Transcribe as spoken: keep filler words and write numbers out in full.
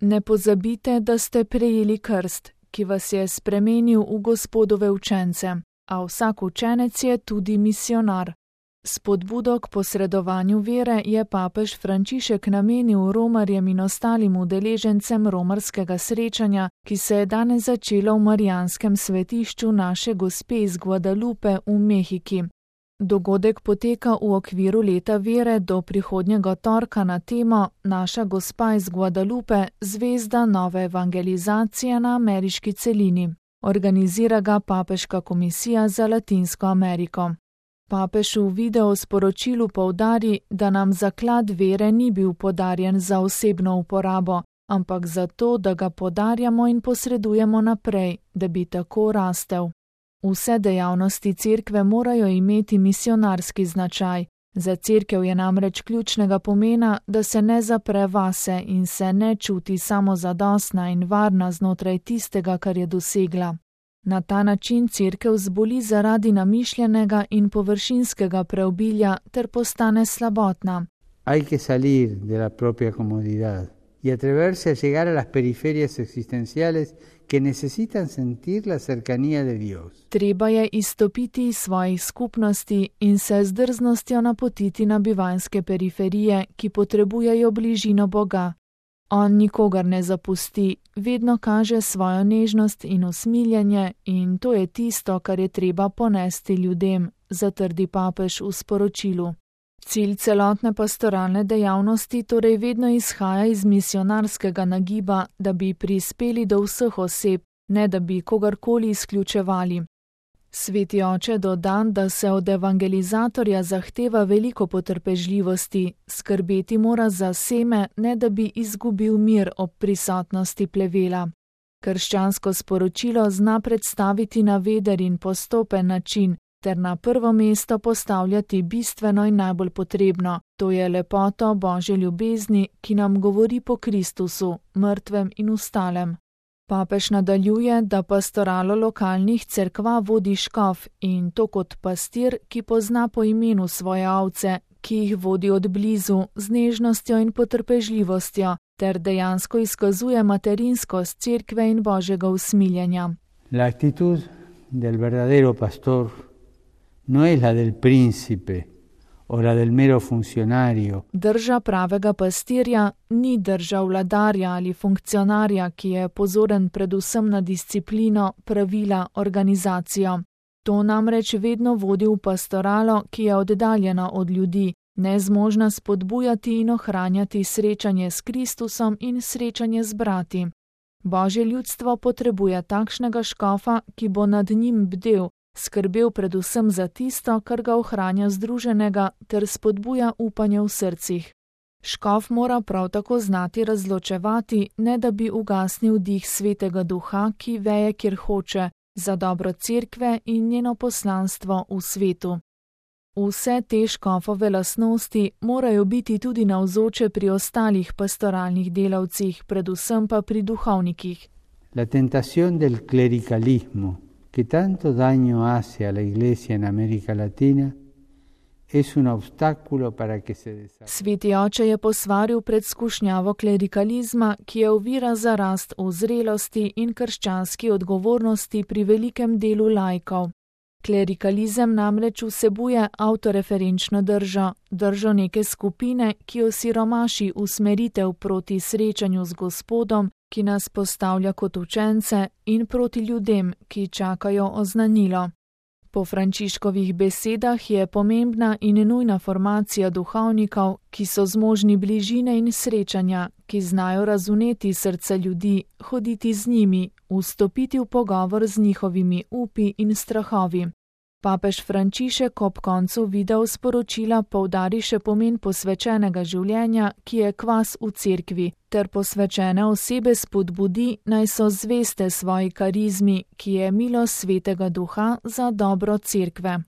Ne pozabite, da ste prejeli krst, ki vas je spremenil v Gospodove učence, a vsak učenec je tudi misionar. Spodbudo k posredovanju vere je papež Frančišek namenil romarjem in ostalim udeležencem romarskega srečanja, ki se je danes začelo v Marijanskem svetišču Naše Gospe iz Guadalupe v Mehiki. Dogodek poteka v okviru leta vere do prihodnjega torka na temo Naša Gospa iz Guadalupe, zvezda nove evangelizacije na ameriški celini. Organizira ga Papeška komisija za Latinsko Ameriko. Papež v video sporočilu poudari, da nam zaklad vere ni bil podarjen za osebno uporabo, ampak zato, da ga podarjamo in posredujemo naprej, da bi tako rastel. Vse dejavnosti cerkve morajo imeti misionarski značaj. Za cerkev je namreč ključnega pomena, da se ne zapre vase in se ne čuti samozadostna in varna znotraj tistega, kar je dosegla. Na ta način cerkev zboli zaradi namišljenega in površinskega preobilja ter postane slabotna. Hay que salir de la propia comodidad y atreverse a llegar a las periferias existenciales que necesitan sentir la cercanía de Dios. Treba je izstopiti iz svojih skupnosti in se z drznostjo napotiti na bivanjske periferije, ki potrebujejo bližino Boga. On nikogar ne zapusti, vedno kaže svojo nežnost in usmiljenje in to je tisto, kar je treba ponesti ljudem, zatrdi papež v sporočilu. Cilj celotne pastoralne dejavnosti torej vedno izhaja iz misionarskega nagiba, da bi prispeli do vseh oseb, ne da bi kogarkoli izključevali. Sveti oče doda, da se od evangelizatorja zahteva veliko potrpežljivosti, skrbeti mora za seme, ne da bi izgubil mir ob prisotnosti plevela. Krščansko sporočilo zna predstaviti na veder in postopen način, ter na prvo mesto postavljati bistveno in najbolj potrebno, to je lepoto Božje ljubezni, ki nam govori po Kristusu, mrtvem in ustalem. Papež nadaljuje, da pastoralo lokalnih cerkva vodi škof in to kot pastir, ki pozna po imenu svoje ovce, ki jih vodi od blizu z nežnostjo in potrpežljivostjo, ter dejansko izkazuje materinskost cerkve in Božjega usmiljenja. La actitud del verdadero pastor no es la del príncipe o la del mero funcionario. Drža pravega pastirja ni drža vladarja ali funkcionarja, ki je pozoren predvsem na disciplino, pravila, organizacijo. To namreč vedno vodi v pastoralo, ki je oddaljena od ljudi, nezmožna spodbujati in ohranjati srečanje s Kristusom in srečanje z brati. Božje ljudstvo potrebuje takšnega škofa, ki bo nad njim bdel, skrbel predvsem za tisto, kar ga ohranja združenega ter spodbuja upanje v srcih. Škof mora prav tako znati razločevati, ne da bi ugasnil dih Svetega Duha, ki veje, kjer hoče, za dobro cerkve in njeno poslanstvo v svetu. Vse te škofove lastnosti morajo biti tudi navzoče pri ostalih pastoralnih delavcih, predvsem pa pri duhovnikih. La tentación del clericalismo, que tanto daño hace a la Iglesia en América Latina, es un obstáculo para que se desarrolle. Sveti oče je posvaril pred skušnjavo klerikalizma, ki je ovira za rast v zrelosti in krščanski odgovornosti pri velikem delu laikov. Klerikalizem namreč vsebuje avtoreferenčno držo, držo neke skupine, ki osiromaši usmeritev proti srečanju z Gospodom, ki nas postavlja kot učence, in proti ljudem, ki čakajo oznanilo. Po Frančiškovih besedah je pomembna in nujna formacija duhovnikov, ki so zmožni bližine in srečanja, ki znajo razumeti srca ljudi, hoditi z njimi, vstopiti v pogovor z njihovimi upi in strahovi. Papež Frančišek ob koncu video sporočila poudari še pomen posvečenega življenja, ki je kvas v cerkvi, ter posvečene osebe spodbudi, naj so zveste svoji karizmi, ki je milost Svetega Duha za dobro cerkve.